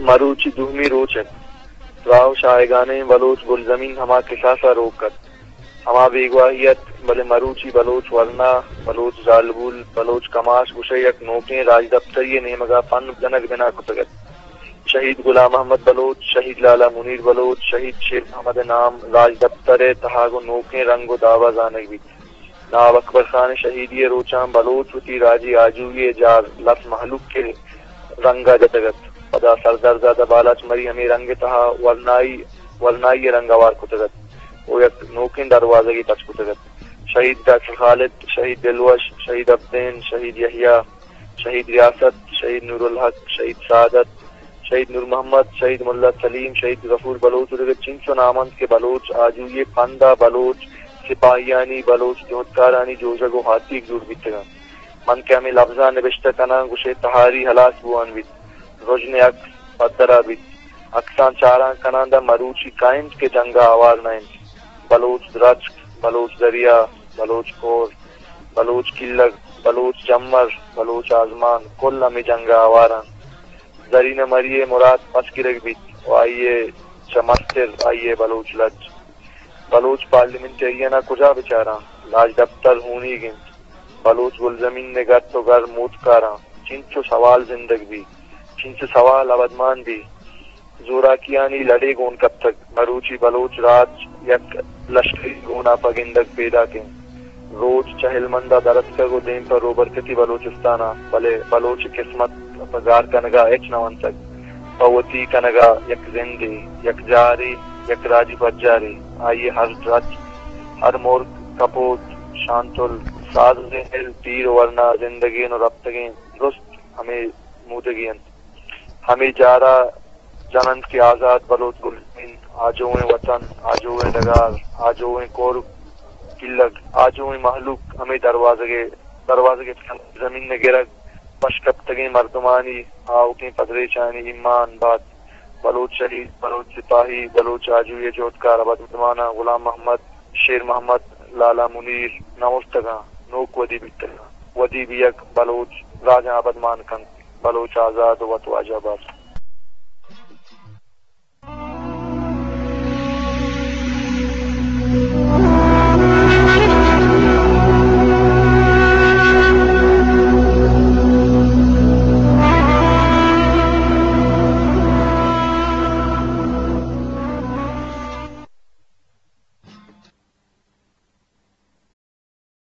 مروچی دومی روچ ات۔ تراہ و شاہگانیں بلوچ گلزمین ہما کساس ء روک ات، ہما بیگواہی ات، بلے مروچی بلوچ ورنا، بلوچ زالبول، بلوچ کماش گوشئے یک نوکیں راجدپتری ء نیمگ ء پند جنگ بنا کتگ ات۔ شہید غلام محمد بلوچ، شہید لالا منیر بلوچ، شہید شیر محمد ء نام راجدپتر ء تہا گوں نوکیں رنگ و داب ء زانگ بیت۔ نواب اکبر خان ء شہیدی ء روچاں بلوچ وتی راجی آجوئی ء جار لس مہلوک ء رنگ ء جتگ ات۔ پدا سردار زادہ بالاچ مری ہمے رنگ ء تہا ورنائی، ورنائی ء رنگ ہوار کتگ ات و یک نوکیں دروازگے پچ کتگ ات۔ شہید ڈاکٹر خالد، شہید دلوش، شہید ابدین، شہید یحییٰ، شہید ریاست، شہید نورالحق، شہید سعادت، شہید نور محمد، شہید ملا سلیم، شہید غفور بلوچ و دگہ چنچو نام انت کہ بلوچ آجوئی ء پند ء بلوچ سپاہیانی، بلوچ جہدکارانی جوژگ و ہاتیگ جوڑ بیتگ انت۔ من کہ ہمے لبزاں نبشتہ کناں، گوشئے تہاری ہلاس بوان بیت، رژن ء عکس پدرا بیت۔ عکساں چاران کناں داں مروچی کئے انت کہ جنگ ء ہوار نہ انت۔ بلوچ درچک، بلوچ دریا، بلوچ کور، بلوچ کلگ، بلوچ جمر، بلوچ آزمان، کل ہمے جنگ ء ہوار انت۔ زرینہ مری ء مراد پس گرگ بیت و آئی ء چہ مستر آئی ء بلوچ لج۔ بلوچ پارلیمنٹیرین ء کجا بچاراں؟ راجدپتر ہونیگ انت۔ بلوچ گلزمین ء گت و گر موتکاراں۔ چنچو سوال زندگ بی، چنچو سوال ابدمان بی۔ زوراکیانی لڑے گون کپتگ۔ مروچی بلوچ راج یک لشکری گونا پہ گندگ پیداک انت۔ روچ چہ ہلمندا درتکگ و دیم پہ روبرکتی بلوچستانا، بلے بلوچ قسمت پہ گار کنگا ہچ نہ ونتگ۔ پہ وتی کنگا یک زندے، یک جارے، یک راجی پجارے۔ آئی ہر درچک، ہر مرگ، کپوت، شانتل، ساز و زہل، تیر و ورنا زندگین و رپتگین درست ہمے مودگی انت۔ ہمے جارا جن انت کہ آزات بلوچ گلزمین، آجوئیں وطن، آجوئیں ڈگار، آجوئیں کور کلگ، آجوئیں مہلوک ہمے دروازگ ء، دروازگ ء زمین ء گرگ، پش کپتگیں مردمانی آؤکیں پدریچانی ایمان بات۔ بلوچ شہید، بلوچ سپاہی، بلوچ آجوئی ء جہدکار ابدماناں غلام محمد، شیر محمد، لالا منیر نہ اوشتگاں، نوک ودی بیتگاں۔ ودی بیگ بلوچ راجاں ابدمان کنت۔ بلوچ آزاد و وت واجہ بات۔